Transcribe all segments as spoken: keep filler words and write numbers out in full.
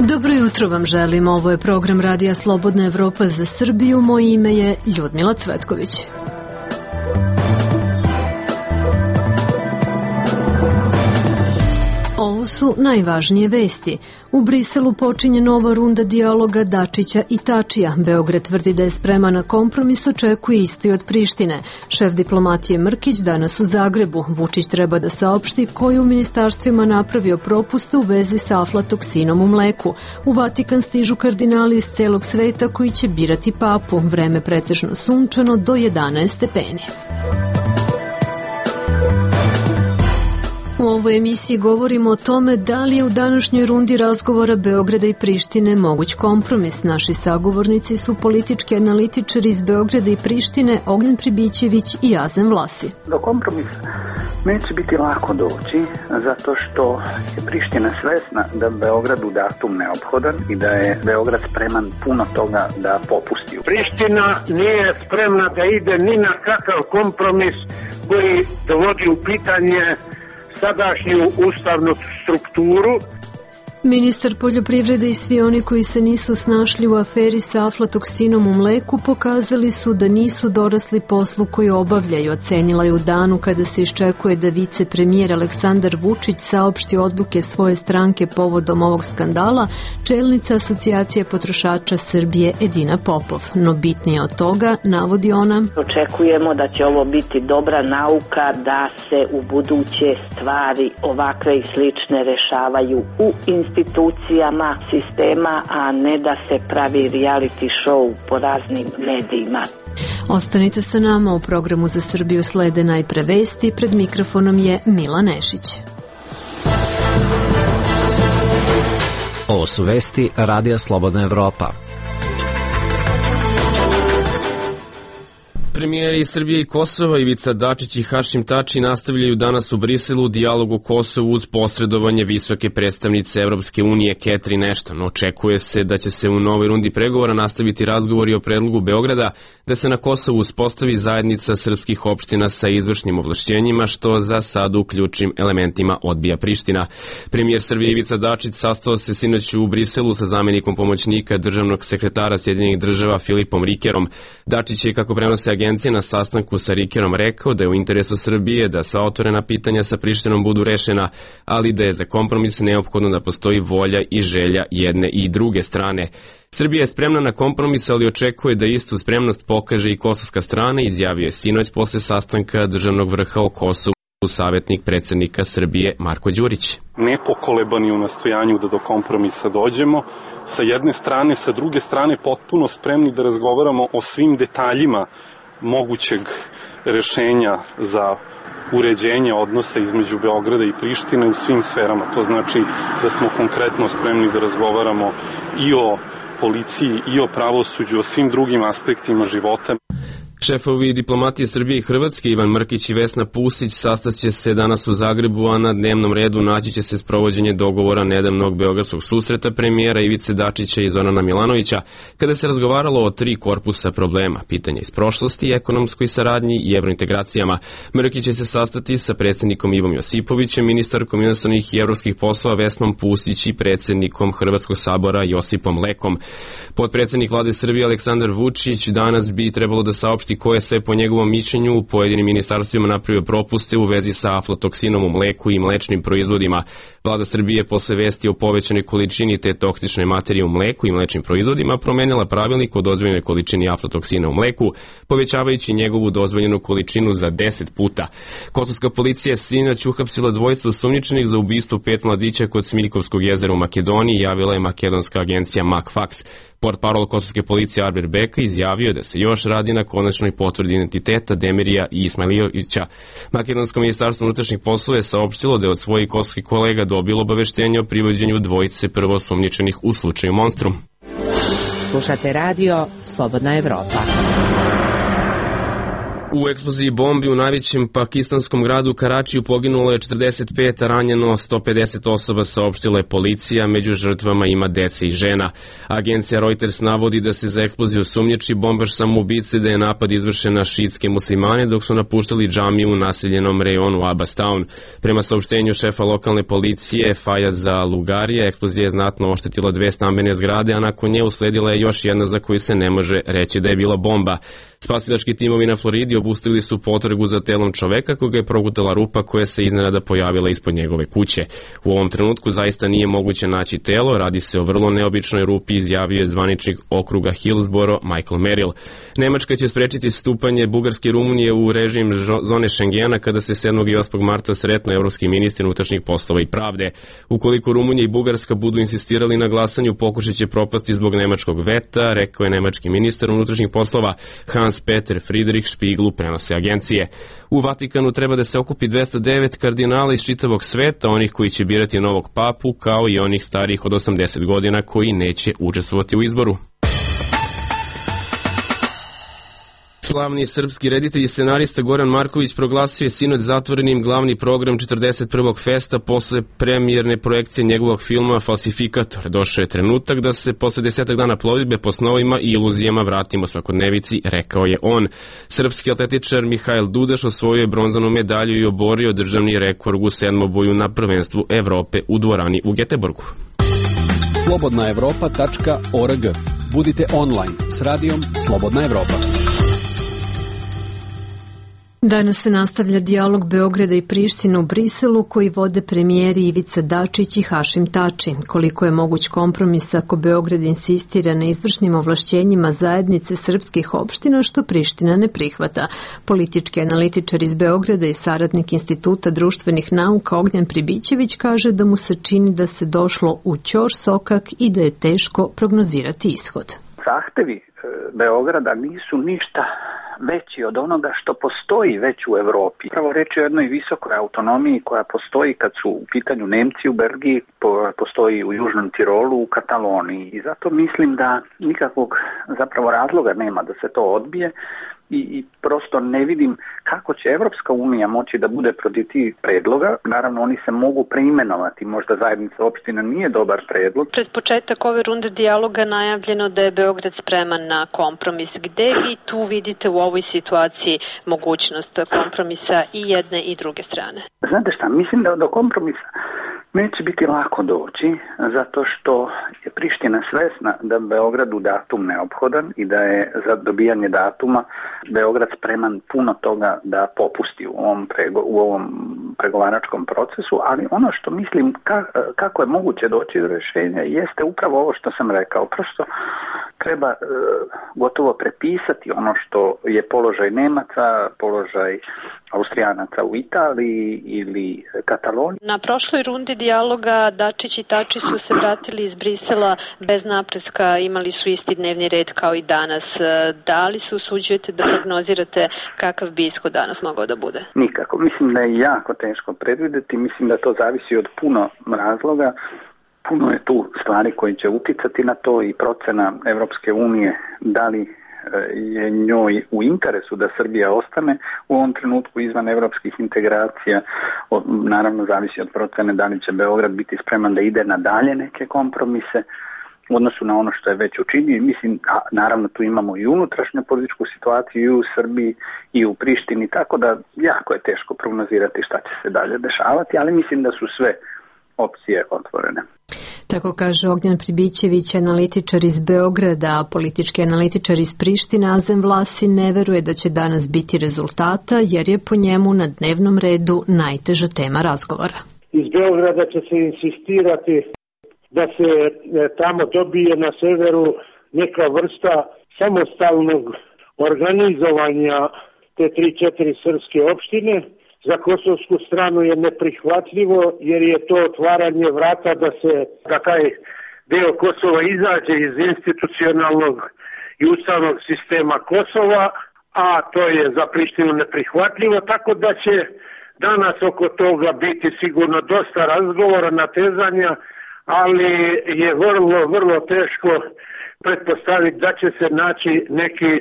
Dobro jutro vam želim, ovo je program Radija Slobodna Evropa za Srbiju, moje ime je Ljudmila Cvetković. Ovo su najvažnije vesti. U Briselu počinje nova runda dijaloga Dačića i Tačija. Beograd tvrdi da je spreman na kompromis, očekuje isto i od Prištine. Šef diplomatije Mrkić danas u Zagrebu. Vučić treba da saopšti koji u ministarstvima napravio propuste u vezi sa aflatoksinom u mleku. U Vatikan stižu kardinali iz celog sveta koji će birati papu. Vreme pretežno sunčano do jedanaest stepeni. U ovoj emisiji govorimo o tome da li je u današnjoj rundi razgovora Beograda i Prištine moguć kompromis. Naši sagovornici su politički analitičari iz Beograda i Prištine Ognjen Pribićević i Azem Vlasi. Do kompromisa neće biti lako doći, zato što je Priština svesna da Beogradu datum neophodan i da je Beograd spreman puno toga da popusti. Priština nije spremna da ide ni na kakav kompromis koji dovodi u pitanje sadašnju ustavnu strukturu. Ministar poljoprivrede i svi oni koji se nisu snašli u aferi sa aflatoksinom u mleku pokazali su da nisu dorasli poslu koji obavljaju, ocenila je u danu kada se iščekuje da vicepremijer Aleksandar Vučić saopšti odluke svoje stranke povodom ovog skandala, čelnica Asocijacije potrošača Srbije Edina Popov. No bitnije od toga, navodi ona, očekujemo da će ovo biti dobra nauka da se u buduće stvari ovakve i slične rešavaju u institucijama institucijama sistema, a ne da se pravi reality show po raznim medijima. Ostanite sa nama, u programu za Srbiju slede najpre vesti, pred mikrofonom je Mila Nešić. Ovo su vesti Radija Slobodna Evropa. Premijeri Srbije i Kosova Ivica Dačić i Hašim Tači nastavljaju danas u Briselu dijalog o Kosovu uz posredovanje visoke predstavnice Evropske unije Catherine Ashton. Očekuje se da će se u novoj rundi pregovora nastaviti razgovori o predlogu Beograda da se na Kosovu uspostavi zajednica srpskih opština sa izvršnim ovlašćenjima, što za sad u ključnim elementima odbija Priština. Premijer Srbije Ivica Dačić sastao se sinoć u Briselu sa zamenikom pomoćnika državnog sekretara Sjedinjenih država Filipom Rikerom. Dačić je, kako prenose agencije, na sastanku sa Rikerom rekao da je u interesu Srbije da sva otvorena pitanja sa Prištinom budu rešena, ali da je za kompromis neophodno da postoji volja i želja jedne i druge strane. Srbija je spremna na kompromis, ali očekuje da istu spremnost pokaže i kosovska strana, izjavio je sinoć posle sastanka državnog vrha o Kosovu savjetnik predsjednika Srbije Marko Đurić. Nepokolebani u nastojanju da do kompromisa dođemo, sa jedne strane, sa druge strane potpuno spremni da razgovaramo o svim detaljima mogućeg rešenja za uređenje odnosa između Beograda i Prištine u svim sferama. To znači da smo konkretno spremni da razgovaramo i o policiji i o pravosuđu, o svim drugim aspektima života. Šefovi diplomatije Srbije i Hrvatske Ivan Mrkić i Vesna Pusić sastaće se danas u Zagrebu, a na dnevnom redu naći će se sprovođenje dogovora nedavnog beogradskog susreta premijera Ivice Dačića i Zorana Milanovića, kada se razgovaralo o tri korpusa problema, pitanja iz prošlosti, ekonomskoj saradnji i evrointegracijama. Mrkić će se sastati sa predsjednikom Ivom Josipovićem, ministarkom inostranih i evropskih poslova Vesnom Pusić i predsjednikom Hrvatskog sabora Josipom Lekom. Potpredsjednik vlade Srbije Aleksandar Vučić danas bi trebalo da saopšti ko je sve po njegovom mišljenju u pojedinim ministarstvima napravio propuste u vezi sa aflatoksinom u mleku i mlečnim proizvodima. Vlada Srbije posle vesti o povećanoj količini te toksične materije u mleku i mlečnim proizvodima promenila pravilnik o dozvoljenoj količini aflatoksina u mleku, povećavajući njegovu dozvoljenu količinu za deset puta. Kosovska policija je sinoć uhapsila dvojicu osumnjičenih za ubistvo pet mladića kod Smiljkovskog jezera u Makedoniji, javila je makedonska agencija MacFax. Portparol kosovske policije Arber Beka izjavio da se još radi na konačnoj potvrdi identiteta Demirija i Ismailijovića. Makedonsko ministarstvo unutrašnjih poslova je saopštilo da je od svojih kosovskih kolega dobilo obaveštenje o privođenju dvojice prvoosumnjičenih u slučaju Monstrum. Slušate radio Slobodna Evropa. U eksploziji bombi u najvećem pakistanskom gradu Karačiju poginulo je četrdeset pet, a ranjeno sto pedeset osoba, saopštila je policija, među žrtvama ima dece i žena. Agencija Reuters navodi da se za eksploziju sumnjiči bombaš samoubice, da je napad izvršen na šiitske muslimane dok su napuštali džamiju u naseljenom rejonu Abbastown. Prema saopštenju šefa lokalne policije Fajaza Lugarija, eksplozija je znatno oštetila dve stambene zgrade, a nakon nje usledila je još jedna za koju se ne može reći da je bila bomba. Spasilački timovi na Floridi obustavili su potragu za telom čoveka koga je progutala rupa koja se iznenada pojavila ispod njegove kuće. U ovom trenutku zaista nije moguće naći telo, radi se o vrlo neobičnoj rupi, izjavio je zvaničnik okruga Hillsboro Michael Merrill. Nemačka će sprečiti stupanje Bugarske i Rumunije u režim zone Šengena kada se sedmog i osmog marta sretnu evropski ministri unutrašnjih poslova i pravde. Ukoliko Rumunija i Bugarska budu insistirali na glasanju, pokušat će propasti zbog nemačkog veta, rekao je nemački ministar unutrašnjih poslova Hans Peter Friedrich Spiegelu, prenose agencije. U Vatikanu treba da se okupi dvesta devet kardinala iz čitavog sveta, onih koji će birati novog papu, kao i onih starijih od osamdeset godina koji neće učestvovati u izboru. Slavni srpski reditelj i scenarista Goran Marković proglasio je sinoć zatvorenim glavni program četrdeset prvog festa posle premijerne projekcije njegovog filma Falsifikator. Došao je trenutak da se posle desetak dana plovidbe po snovima i iluzijama vratimo svakodnevici, rekao je on. Srpski atletičar Mihajl Dudaš osvojio je bronzanu medalju i oborio državni rekord u sedmoboju na prvenstvu Evrope u dvorani u Geteborgu. slobodna evropa tačka org. Budite online s radijom Slobodna Evropa. Danas se nastavlja dijalog Beograda i Prištine u Briselu koji vode premijeri Ivica Dačić i Hašim Tači. Koliko je moguć kompromis ako Beograd insistira na izvršnim ovlašćenjima zajednice srpskih opština što Priština ne prihvata. Politički analitičar iz Beograda i saradnik Instituta društvenih nauka Ognjen Pribićević kaže da mu se čini da se došlo u ćor sokak i da je teško prognozirati ishod. Zahtevi Beograda nisu ništa veći od onoga što postoji već u Evropi. Pravo reći o jednoj visokoj autonomiji koja postoji kad su u pitanju Nemci u Belgiji, postoji u Južnom Tirolu, u Kataloniji. I zato mislim da nikakvog zapravo razloga nema da se to odbije. I, i prosto ne vidim kako će Evropska unija moći da bude protiv tih predloga. Naravno, oni se mogu preimenovati. Možda zajednica opština nije dobar predlog. Pred početak ove runde dijaloga najavljeno da je Beograd spreman na kompromis. Gde vi tu vidite u ovoj situaciji mogućnost kompromisa i jedne i druge strane? Znate šta, mislim da do kompromisa neće biti lako doći, zato što je Priština svesna da Beogradu datum neophodan i da je za dobijanje datuma Beograd spreman puno toga da popusti u ovom, prego, u ovom pregovaračkom procesu, ali ono što mislim ka, kako je moguće doći do rješenja jeste upravo ovo što sam rekao. Prosto treba e, gotovo prepisati ono što je položaj Nemaca, položaj Austrijanaca u Italiji ili Kataloniji. Na prošloj rundi dijaloga Dačić i Tači su se vratili iz Brisela bez napretka, imali su isti dnevni red kao i danas. Da li se usuđujete da prognozirate kakav bi ishod danas mogao da bude? Nikako. Mislim da je jako teško predvideti. Mislim da to zavisi od puno razloga. Puno je tu stvari koji će uticati na to i procena Evropske unije da li je njoj u interesu da Srbija ostane u ovom trenutku izvan evropskih integracija. Naravno zavisi od procene da li će Beograd biti spreman da ide na dalje neke kompromise u odnosu na ono što je već učinio. Mislim, a naravno tu imamo i unutrašnju političku situaciju i u Srbiji i u Prištini, tako da jako je teško prognozirati šta će se dalje dešavati, ali mislim da su sve opcije otvorene. Tako kaže Ognjen Pribićević, analitičar iz Beograda, a politički analitičar iz Prištine Azem Vlasi ne veruje da će danas biti rezultata, jer je po njemu na dnevnom redu najteža tema razgovora. Iz Beograda će se insistirati da se tamo dobije na severu neka vrsta samostalnog organizovanja te tri četiri srpske opštine. Za kosovsku stranu je neprihvatljivo jer je to otvaranje vrata da se da taj deo Kosova izađe iz institucionalnog i ustavnog sistema Kosova, a to je za Prištinu neprihvatljivo, tako da će danas oko toga biti sigurno dosta razgovora, natezanja, ali je vrlo, vrlo teško pretpostaviti da će se naći neki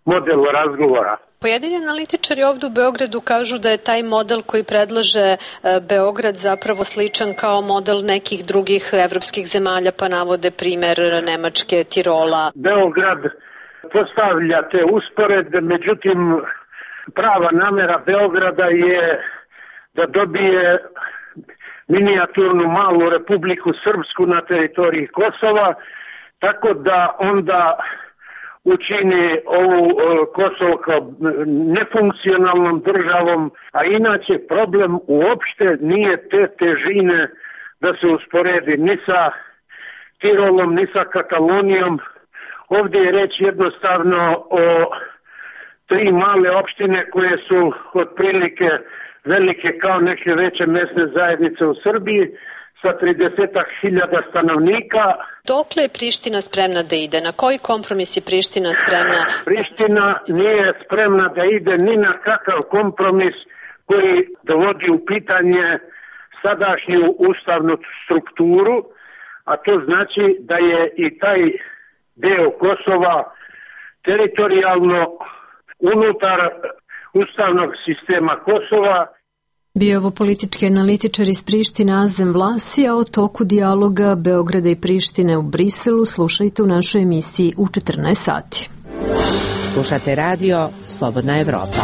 model razgovora. Pojedini analitičari ovdje u Beogradu kažu da je taj model koji predlaže Beograd zapravo sličan kao model nekih drugih evropskih zemalja, pa navode primjer Nemačke, Tirola. Beograd postavlja te usporedbe, međutim prava namera Beograda je da dobije minijaturnu malu Republiku Srpsku na teritoriji Kosova, tako da onda učini ovu Kosovo kao nefunkcionalnom državom, a inače problem uopšte nije te težine da se usporedi ni sa Tirolom, ni sa Katalonijom. Ovdje je reč jednostavno o tri male opštine koje su otprilike velike kao neke veće mesne zajednice u Srbiji sa tridesetak hiljada stanovnika. Dokle je Priština spremna da ide? Na koji kompromis je Priština spremna? Priština nije spremna da ide ni na kakav kompromis koji dovodi u pitanje sadašnju ustavnu strukturu, a to znači da je i taj deo Kosova teritorijalno unutar ustavnog sistema Kosova. Bio je ovo politički analitičar iz Prištine Azem Vlasi, a o toku dijaloga Beograda i Prištine u Briselu slušajte u našoj emisiji u četrnaest sati. Slušate radio Slobodna Evropa.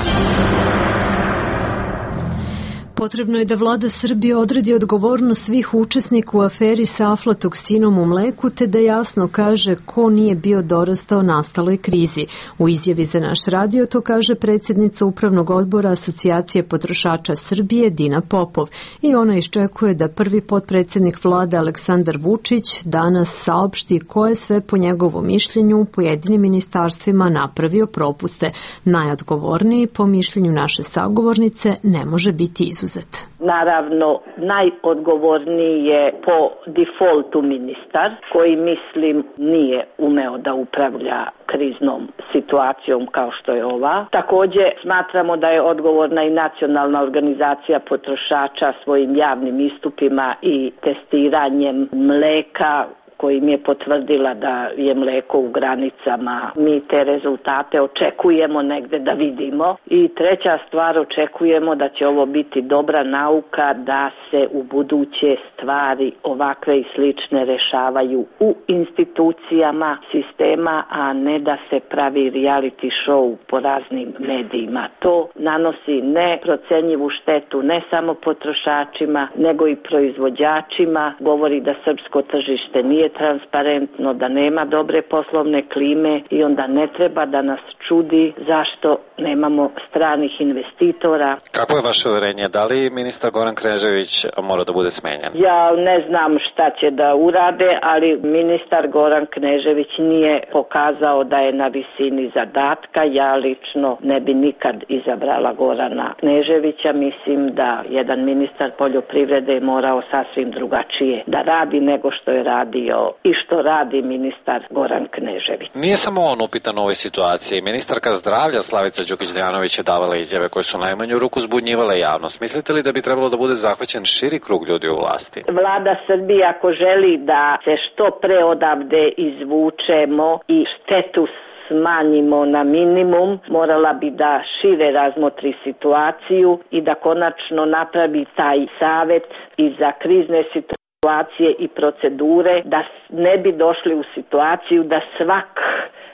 Potrebno je da vlada Srbije odredi odgovornost svih učesnika u aferi sa aflatoksinom u mleku, te da jasno kaže ko nije bio dorastao nastaloj krizi. U izjavi za naš radio to kaže predsjednica Upravnog odbora Asocijacije potrošača Srbije Dina Popov. I ona iščekuje da prvi potpredsjednik vlade Aleksandar Vučić danas saopšti ko je sve po njegovom mišljenju u pojedinim ministarstvima napravio propuste. Najodgovorniji po mišljenju naše sagovornice ne može biti izuzet. Naravno, najodgovorniji je po defaultu ministar, koji mislim nije umeo da upravlja kriznom situacijom kao što je ova. Također smatramo da je odgovorna i nacionalna organizacija potrošača svojim javnim istupima i testiranjem mleka, kojim je potvrdila da je mleko u granicama. Mi te rezultate očekujemo negde da vidimo. I treća stvar, očekujemo da će ovo biti dobra nauka da se u buduće stvari ovakve i slične rešavaju u institucijama sistema, a ne da se pravi reality show po raznim medijima. To nanosi neprocenjivu štetu ne samo potrošačima, nego i proizvođačima. Govori da srpsko tržište nije transparentno, da nema dobre poslovne klime i onda ne treba da nas čudi zašto nemamo stranih investitora. Kako je vaše uverenje? Da li ministar Goran Knežević mora da bude smenjen? Ja ne znam šta će da urade, ali ministar Goran Knežević nije pokazao da je na visini zadatka. Ja lično ne bi nikad izabrala Gorana Kneževića. Mislim da jedan ministar poljoprivrede je morao sasvim drugačije da radi nego što je radio i što radi ministar Goran Knežević. Nije samo on upitan u ovoj situaciji. Ministarka zdravlja Slavica Đukić-Dejanović je davala izjave koje su najmanju ruku zbunjivale javnost. Mislite li da bi trebalo da bude zahvaćen širi krug ljudi u vlasti? Vlada Srbije ako želi da se što pre odavde izvučemo i štetu smanjimo na minimum, morala bi da šire razmotri situaciju i da konačno napravi taj savet i za krizne situacije i procedure, da ne bi došli u situaciju da svak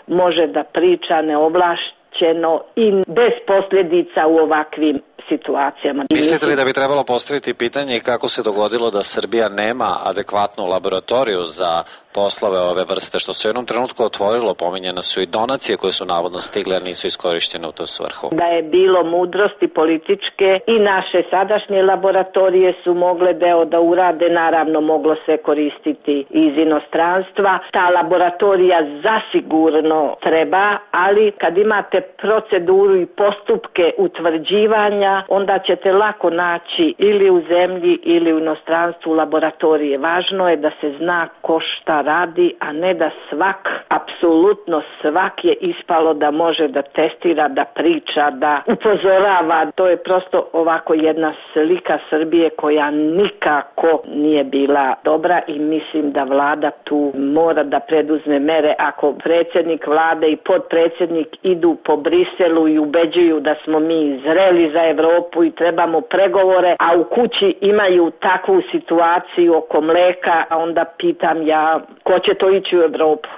može da priča neovlašćeno i bez posljedica u ovakvim situacijama. Mislite li da bi trebalo postaviti pitanje kako se dogodilo da Srbija nema adekvatnu laboratoriju za poslove ove vrste, što se u jednom trenutku otvorilo, pominjene su i donacije koje su navodno stigle, a nisu iskorištene u tu svrhu. Da je bilo mudrosti političke i naše sadašnje laboratorije su mogle deo da urade, naravno moglo se koristiti iz inostranstva. Ta laboratorija zasigurno treba, ali kad imate proceduru i postupke utvrđivanja rada, onda ćete lako naći ili u zemlji ili u inostranstvu laboratorije. Važno je da se zna ko šta radi, a ne da svak, apsolutno svak je ispalo da može da testira, da priča, da upozorava. To je prosto ovako jedna slika Srbije koja nikako nije bila dobra i mislim da vlada tu mora da preduzme mere. Ako predsjednik vlade i podpredsjednik idu po Briselu i ubeđuju da smo mi zreli za Evropu i trebamo pregovore, a u kući imaju takvu situaciju oko mleka, a onda pitam ja ko će to ići u Evropu?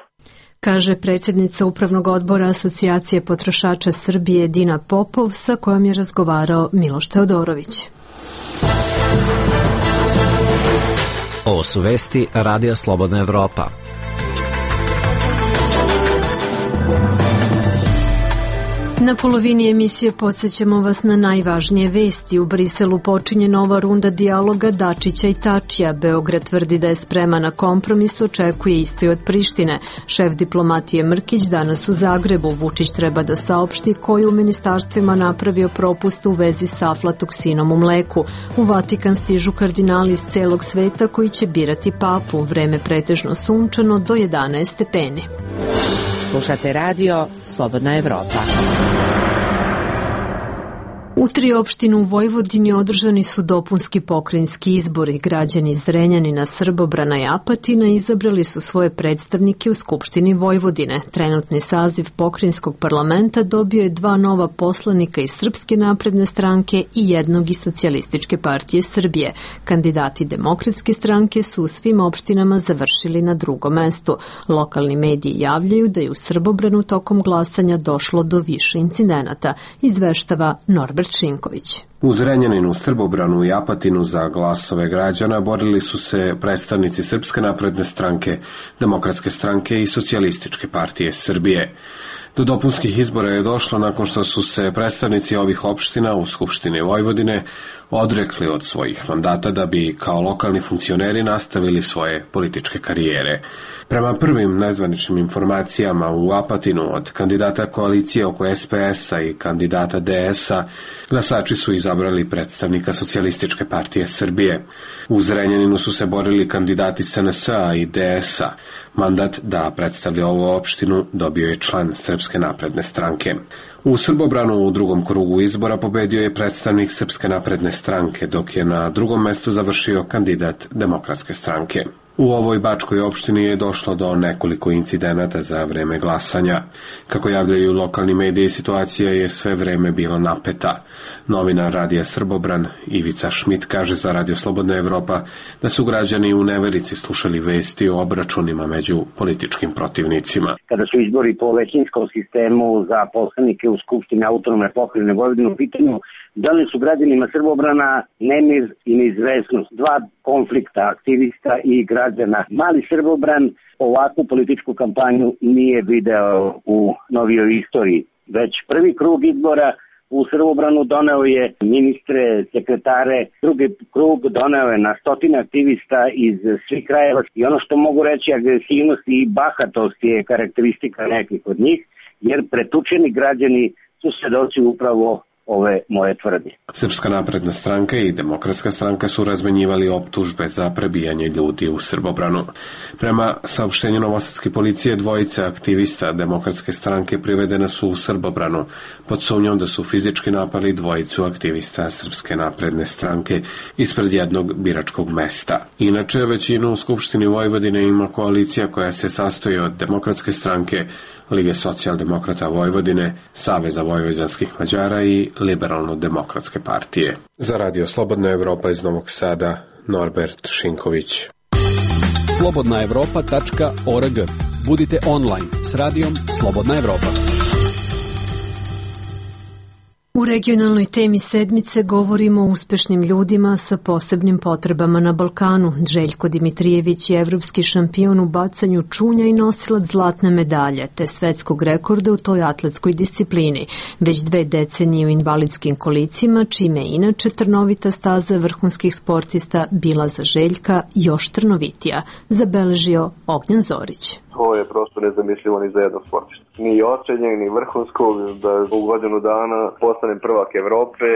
Kaže predsjednica Upravnog odbora Asocijacije potrošača Srbije Dina Popov, sa kojom je razgovarao Miloš Teodorović. Ovo su vesti Radija Slobodna Evropa. Na polovini emisije podsjećamo vas na najvažnije vesti. U Briselu počinje nova runda dijaloga Dačića i Tačija. Beograd tvrdi da je spreman na kompromis, očekuje isto i od Prištine. Šef diplomatije Mrkić danas u Zagrebu. Vučić treba da saopšti koji u ministarstvima napravio propust u vezi sa aflatoksinom u mleku. U Vatikan stižu kardinali iz celog sveta koji će birati papu. Vreme pretežno sunčano do jedanaest stepeni. Slušate radio Slobodna Evropa. U tri opštine u Vojvodini održani su dopunski pokrajinski izbori. Građani Zrenjanina, Srbobrana i Apatina izabrali su svoje predstavnike u Skupštini Vojvodine. Trenutni saziv pokrajinskog parlamenta dobio je dva nova poslanika iz Srpske napredne stranke i jednog iz Socijalističke partije Srbije. Kandidati Demokratske stranke su u svim opštinama završili na drugom mestu. Lokalni mediji javljaju da je u Srbobranu tokom glasanja došlo do više incidenata, izveštava Norbert Šinković. U Zrenjaninu, Srbobranu i Apatinu za glasove građana borili su se predstavnici Srpske napredne stranke, Demokratske stranke i Socijalističke partije Srbije. Do dopunskih izbora je došlo nakon što su se predstavnici ovih opština u Skupštini Vojvodine odrekli od svojih mandata da bi kao lokalni funkcioneri nastavili svoje političke karijere. Prema prvim nezvaničnim informacijama u Apatinu od kandidata koalicije oko S P S-a i kandidata D S-a, glasači su izabrali predstavnika Socijalističke partije Srbije. U Zrenjaninu su se borili kandidati S N S-a i D S-a. Mandat da predstavlja ovu opštinu dobio je član Srpske napredne stranke. U Srbobranu u drugom krugu izbora pobedio je predstavnik Srpske napredne stranke, dok je na drugom mestu završio kandidat Demokratske stranke. U ovoj bačkoj opštini je došlo do nekoliko incidenata za vreme glasanja. Kako javljaju lokalni mediji, situacija je sve vreme bila napeta. Novinar Radija Srbobran Ivica Šmit kaže za Radio Slobodna Evropa da su građani u neverici slušali vesti o obračunima među političkim protivnicima. Kada su izbori po većinskom sistemu za poslanike u Skupštini Autonomne pokrajine Vojvodine u pitanju, da li su građanima Srbobrana nemir i neizvesnost, dva konflikta aktivista i građana. Mali Srbobran ovakvu političku kampanju nije video u novijoj istoriji. Već prvi krug izbora u Srbobranu doneo je ministre, sekretare, drugi krug doneo je na stotine aktivista iz svih krajeva i ono što mogu reći, agresivnost i bahatost je karakteristika nekih od njih, jer pretučeni građani su svedoci upravo ove moje tvrdnje. Srpska napredna stranka i Demokratska stranka su razmenjivali optužbe za prebijanje ljudi u Srbobranu. Prema saopštenju novosadske policije, dvojica aktivista Demokratske stranke privedena su u Srbobranu pod sumnjom da su fizički napali dvojicu aktivista Srpske napredne stranke ispred jednog biračkog mesta. Inače, većinu u Skupštini Vojvodine ima koalicija koja se sastoji od Demokratske stranke, Lige socijaldemokrata Vojvodine, Saveza vojvođanskih Mađara i Liberalno-demokratske partije. Za Radio Slobodna Evropa iz Novog Sada, Norbert Šinković. slobodna evropa tačka org. Budite online s radijom Slobodna Evropa. U regionalnoj temi sedmice govorimo o uspešnim ljudima sa posebnim potrebama na Balkanu. Željko Dimitrijević je evropski šampion u bacanju čunja i nosilac zlatne medalje, te svetskog rekorda u toj atletskoj disciplini. Već dve decenije u invalidskim kolicima, čime je inače trnovita staza vrhunskih sportista bila za Željka još trnovitija, zabeležio Ognjan Zorić. to je prosto nezamislivo ni za jednog sportista. Ni ocenjen, ni vrhunskog, da u godinu dana postanem prvak Evrope,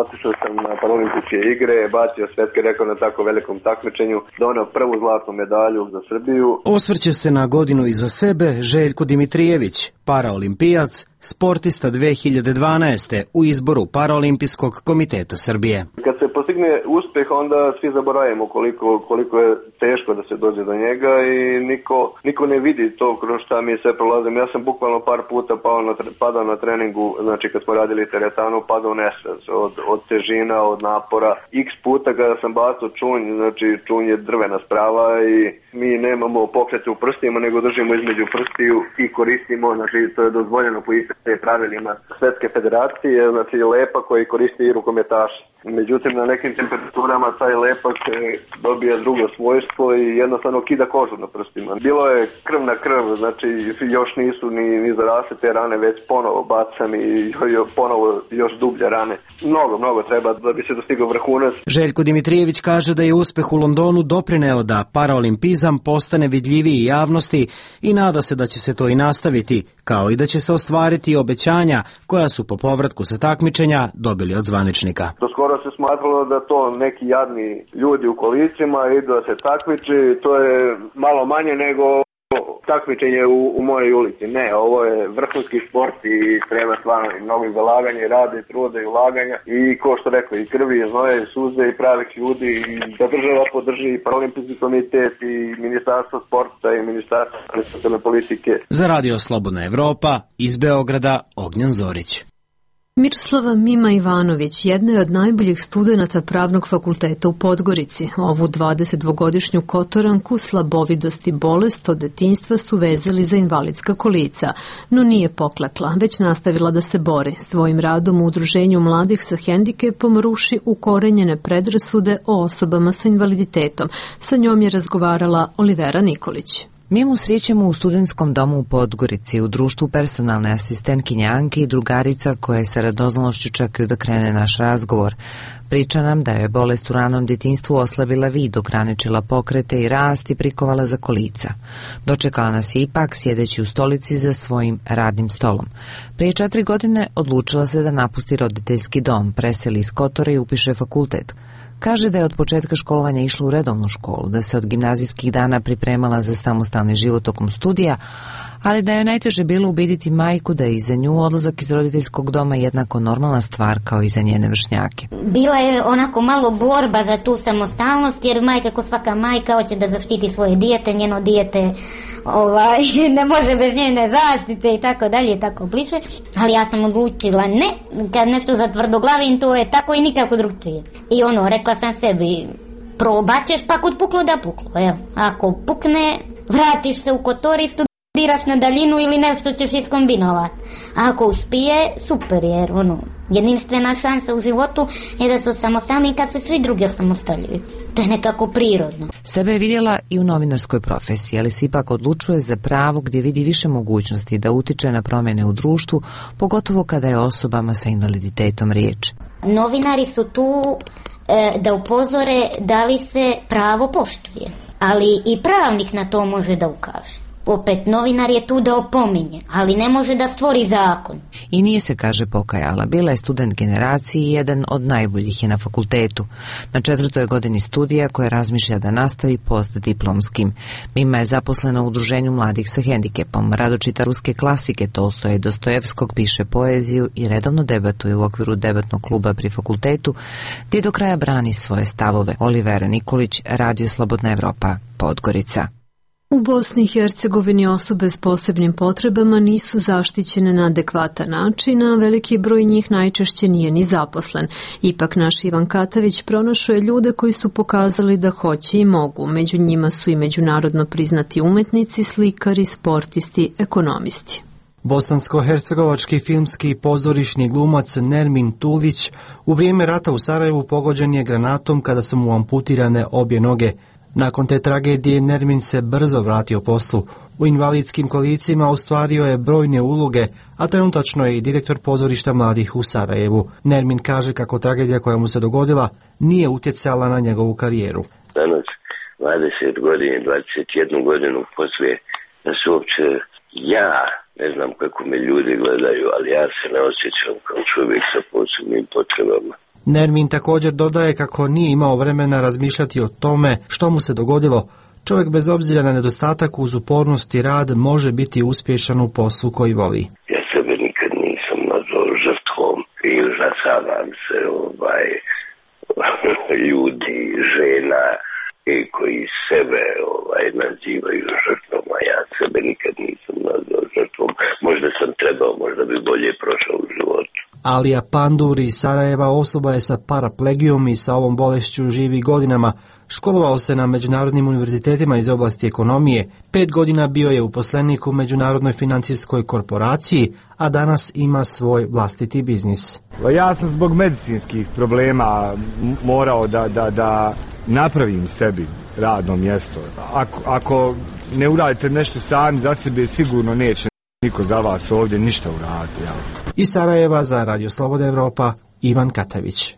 otišao sam na paraolimpijske igre, bacio svetski rekord na tako velikom takmičenju, doneo prvu zlatnu medalju za Srbiju. Osvrće se na godinu iza sebe Željko Dimitrijević, paraolimpijac, sportista dve hiljade dvanaeste u izboru Paraolimpijskog komiteta Srbije. Kad se postigne uspeh, onda svi zaboravimo koliko, koliko je teško da se dođe do njega i niko, niko ne vidi to kroz šta mi sve prolazimo. Ja sam bukvalno par puta pao na, padao na treningu, znači kad smo radili teretanu, padao u nesvez od, od težina, od napora. X puta kada sam bacao čunj, znači čunj je drvena sprava i mi nemamo pokrete u prstima, nego držimo između prstiju i koristimo, znači to je dozvoljeno po istim pravilima Svetske federacije, znači lepak koji koristi i rukometaši. Međutim, na nekim temperaturama taj lepak dobije drugo svojstvo i jednostavno kida kožu na prstima. Bilo je krv na krv, znači još nisu ni, ni zarasle te rane, već ponovo bacam i ponovo još dublje rane. Mnogo, mnogo treba da bi se dostigao vrhunac. Željko Dimitrijević kaže da je uspeh u Londonu doprineo da paraolimpizam postane vidljiviji javnosti i nada se da će se to i nastaviti, kao i da će se ostvariti obećanja koja su po povratku sa takmičenja dobili od zvaničnika. Do skoro se smatralo da to neki jadni ljudi u kolicima idu da se takmiči, to je malo manje nego takmičenje u, u mojoj ulici. Ne, ovo je vrhunski sport i treba stvarno i mnogo zalaganja i rada i truda i ulaganja i ko što rekao i krvi i znoja i suze i pravih ljudi i da država podrži i Paraolimpijski komitet i Ministarstvo sporta i Ministarstvo socijalne politike. Za Radio Slobodna Evropa iz Beograda Ognjan Zorić. Miroslava Mima Ivanović jedna je od najboljih studenata Pravnog fakulteta u Podgorici. Ovu dvadesetdvogodišnju kotoranku slabovidost i bolest od detinjstva su vezali za invalidska kolica, no nije poklekla, već nastavila da se bori. Svojim radom u Udruženju mladih sa hendikepom ruši ukorenjene predrasude o osobama sa invaliditetom. Sa njom je razgovarala Olivera Nikolić. Mi mu srećemo u studentskom domu u Podgorici, u društvu personalne asistentkinje Anke i drugarica koje sa radoznalošću čekaju da krene naš razgovor. Priča nam da je bolest u ranom djetinjstvu oslabila vid, ograničila pokrete i rast i prikovala za kolica. Dočekala nas je ipak sjedeći u stolici za svojim radnim stolom. Prije četiri godine odlučila se da napusti roditeljski dom, preseli iz Kotora i upiše fakultet. Kaže da je od početka školovanja išla u redovnu školu, da se od gimnazijskih dana pripremala za samostalni život tokom studija, ali da je najteže bilo ubediti majku da je i za nju odlazak iz roditeljskog doma jednako normalna stvar kao i za njene vršnjake. Bila je onako malo borba za tu samostalnost, jer majka, ko svaka majka, hoće da zaštiti svoje dijete, njeno dijete ovaj, ne može bez njene zaštite i tako dalje i tako bliže, ali ja sam odlučila ne, kad nešto zatvrdoglavim, to je tako i nikako drugčije. I ono, rekla sam sebi, probat ćeš, pa kod puklo da puklo, evo. Ako pukne, vratiš se u Kotor i studiraš na daljinu ili nešto ćeš iskombinovati. A ako uspije, super, jer ono, jedinstvena šansa u životu je da su samostalni kad se svi drugi osamostaljuju. To je nekako prirodno. Sebe je vidjela i u novinarskoj profesiji, ali se ipak odlučuje za pravo gdje vidi više mogućnosti da utiče na promjene u društvu, pogotovo kada je osobama sa invaliditetom riječ. Novinari su tu e, da upozore da li se pravo poštuje, ali i pravnik na to može da ukaže. Opet, novinar je tu da opominje, ali ne može da stvori zakon. I nije se, kaže, pokajala. Bila je student generaciji i jedan od najboljih je na fakultetu. Na četvrtoj godini studija koje razmišlja da nastavi postdiplomskim. Mima je zaposlena u Udruženju mladih sa hendikepom. Rado čita ruske klasike Tolstoja i Dostojevskog, piše poeziju i redovno debatuje u okviru debatnog kluba pri fakultetu, gdje do kraja brani svoje stavove. Olivera Nikolić, Radio Slobodna Evropa, Podgorica. U Bosni i Hercegovini osobe s posebnim potrebama nisu zaštićene na adekvatan način, a veliki broj njih najčešće nije ni zaposlen. Ipak naš Ivan Katavić pronašao je ljude koji su pokazali da hoće i mogu. Među njima su i međunarodno priznati umetnici, slikari, sportisti, ekonomisti. Bosansko-hercegovački filmski i pozorišni glumac Nermin Tulić u vrijeme rata u Sarajevu pogođen je granatom kada su mu amputirane obje noge. Nakon te tragedije Nermin se brzo vratio poslu. U invalidskim kolicima ostvario je brojne uloge, a trenutačno je i direktor pozorišta mladih u Sarajevu. Nermin kaže kako tragedija koja mu se dogodila nije utjecala na njegovu karijeru. Danas dvadeset godina, dvadeset jednu godinu poslije da se uopće ja, ne znam kako me ljudi gledaju, ali ja se ne osjećam kao čovjek sa posebnim potrebama. Nermin također dodaje kako nije imao vremena razmišljati o tome što mu se dogodilo. Čovjek bez obzira na nedostatak uz upornost i rad može biti uspješan u poslu koji voli. Ja sebe nikad nisam nazvao žrtvom i užasavam se ovaj, ljudi, žena i koji sebe ovaj, nazivaju žrtvom, a ja sebe nikad nisam nazvao žrtvom. Možda sam trebao, možda bi bolje prošao u životu. Alija Pandur iz Sarajeva osoba je sa paraplegijom i sa ovom bolešću živi godinama. Školovao se na međunarodnim univerzitetima iz oblasti ekonomije. Pet godina bio je uposlenik u Međunarodnoj financijskoj korporaciji, a danas ima svoj vlastiti biznis. Ja sam zbog medicinskih problema morao da, da, da napravim sebi radno mjesto. Ako, ako ne uradite nešto sami za sebe, sigurno neće niko za vas ovdje ništa uraditi. Ja. Iz Sarajeva za Radio Slobodna Evropa, Ivan Katavić.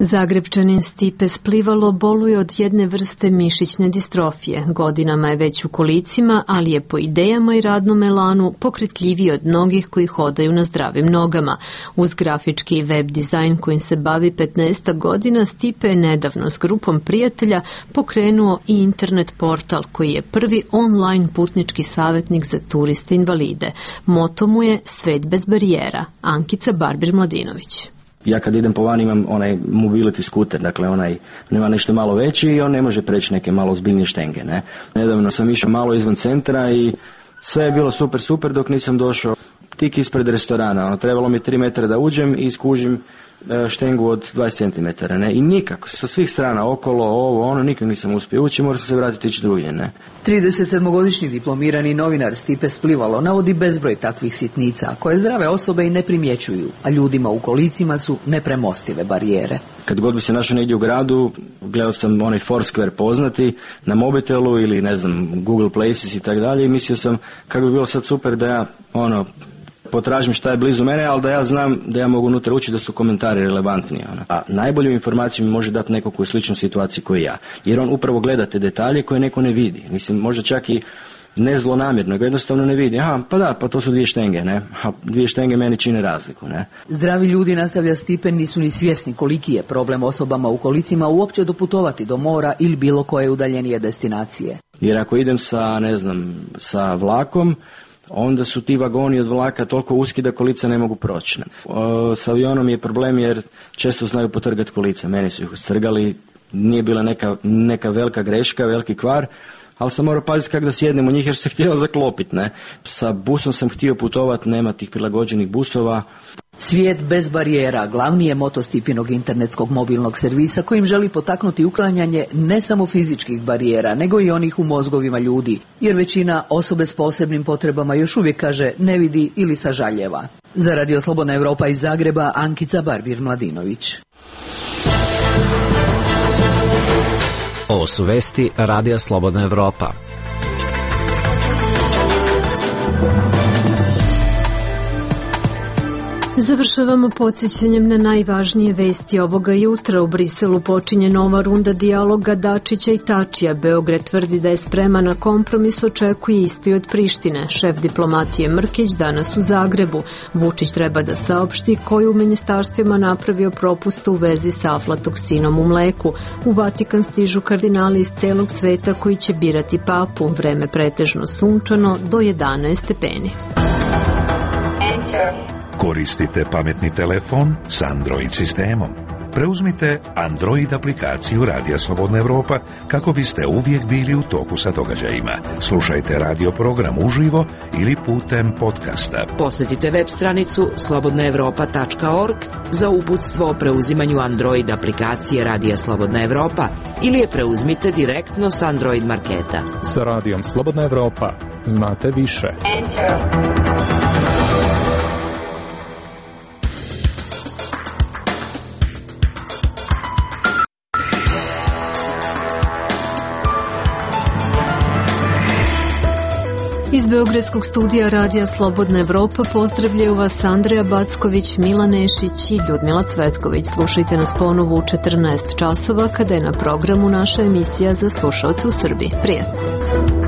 Zagrebčanin Stipe Splivalo boluje od jedne vrste mišićne distrofije. Godinama je već u kolicima, ali je po idejama i radnom elanu pokretljiviji od mnogih koji hodaju na zdravim nogama. Uz grafički i web dizajn kojim se bavi petnaest godina, Stipe je nedavno s grupom prijatelja pokrenuo i internet portal koji je prvi online putnički savjetnik za turiste invalide. Moto mu je Svet bez barijera. Ankica Barbir-Mladinović. Ja kad idem po van imam onaj mobility skuter, dakle onaj nema nešto malo veći i on ne može preći neke malo ozbiljnije štenge. Ne? Nedavno sam išao malo izvan centra i sve je bilo super, super dok nisam došao tik ispred restorana. Ono, trebalo mi tri metra da uđem i skužim štengu od dvadeset centimetara. Ne? I nikako, sa svih strana, okolo, ovo, ono, nikak nisam uspio ući, mora sam se vratiti ići drugdje. Ne? trideset sedmogodišnji diplomirani novinar Stipe Splivalo navodi bezbroj takvih sitnica koje zdrave osobe i ne primjećuju, a ljudima u kolicima su nepremostive barijere. Kad god bi se našao negdje u gradu, gledao sam onaj Foursquare poznati na mobitelu ili ne znam Google Places i tako dalje i mislio sam kako bi bilo sad super da ja ono potražim šta je blizu mene, ali da ja znam da ja mogu unutra ući da su komentari relevantni. Ono. A najbolju informaciju mi može dati neko koji je u sličnoj situaciji koji ja. Jer on upravo gleda te detalje koje neko ne vidi. Mislim, možda čak i ne zlonamjerno, nego jednostavno ne vidi. Aha, pa da, pa to su dvije štenge, ne? A dvije štenge meni čine razliku, ne? Zdravi ljudi, nastavlja Stipe, nisu ni svjesni koliki je problem osobama u kolicima uopće doputovati do mora ili bilo koje udaljenije destinacije. Jer ako idem sa, ne znam, sa vlakom, onda su ti vagoni od vlaka toliko uski da kolica ne mogu proći. O, s avionom je problem jer često znaju potrgati kolica. Meni su ih strgali, nije bila neka, neka velika greška, veliki kvar, ali sam morao paziti kako da sjednem u njih jer se htjela zaklopiti. Ne? Sa busom sam htio putovati, nema tih prilagođenih busova. Svijet bez barijera glavni je moto Stipinog internetskog mobilnog servisa kojim želi potaknuti uklanjanje ne samo fizičkih barijera, nego i onih u mozgovima ljudi, jer većina osobe s posebnim potrebama još uvijek kaže ne vidi ili sažaljeva. Za Radio Slobodna Evropa iz Zagreba, Ankica Barbir-Mladinović. Ovo su vesti Radija Slobodna Evropa. Završavamo podsjećanjem na najvažnije vesti ovoga jutra. U Briselu počinje nova runda dijaloga Dačića i Tačija. Beograd tvrdi da je spreman na kompromis, očekuje isti od Prištine. Šef diplomatije Mrkić danas u Zagrebu. Vučić treba da saopšti koji u ministarstvima napravio propuste u vezi sa aflatoksinom u mleku. U Vatikan stižu kardinali iz celog sveta koji će birati papu. Vreme pretežno sunčano do jedanaest stepeni. Koristite pametni telefon s Android sistemom. Preuzmite Android aplikaciju Radija Slobodna Evropa kako biste uvijek bili u toku sa događajima. Slušajte radio program uživo ili putem podcasta. Posjetite web stranicu slobodna evropa tačka org za uputstvo o preuzimanju Android aplikacije Radija Slobodna Evropa ili je preuzmite direktno s Android marketa. Sa Radijom Slobodna Evropa znate više. Enter. Iz Beogradskog studija Radija Slobodna Evropa pozdravljaju vas Andreja Backović, Milan Nešić i Ljudmila Cvetković. Slušajte nas ponovo u četrnaest časova kada je na programu naša emisija za slušalce u Srbiji. Prijetno!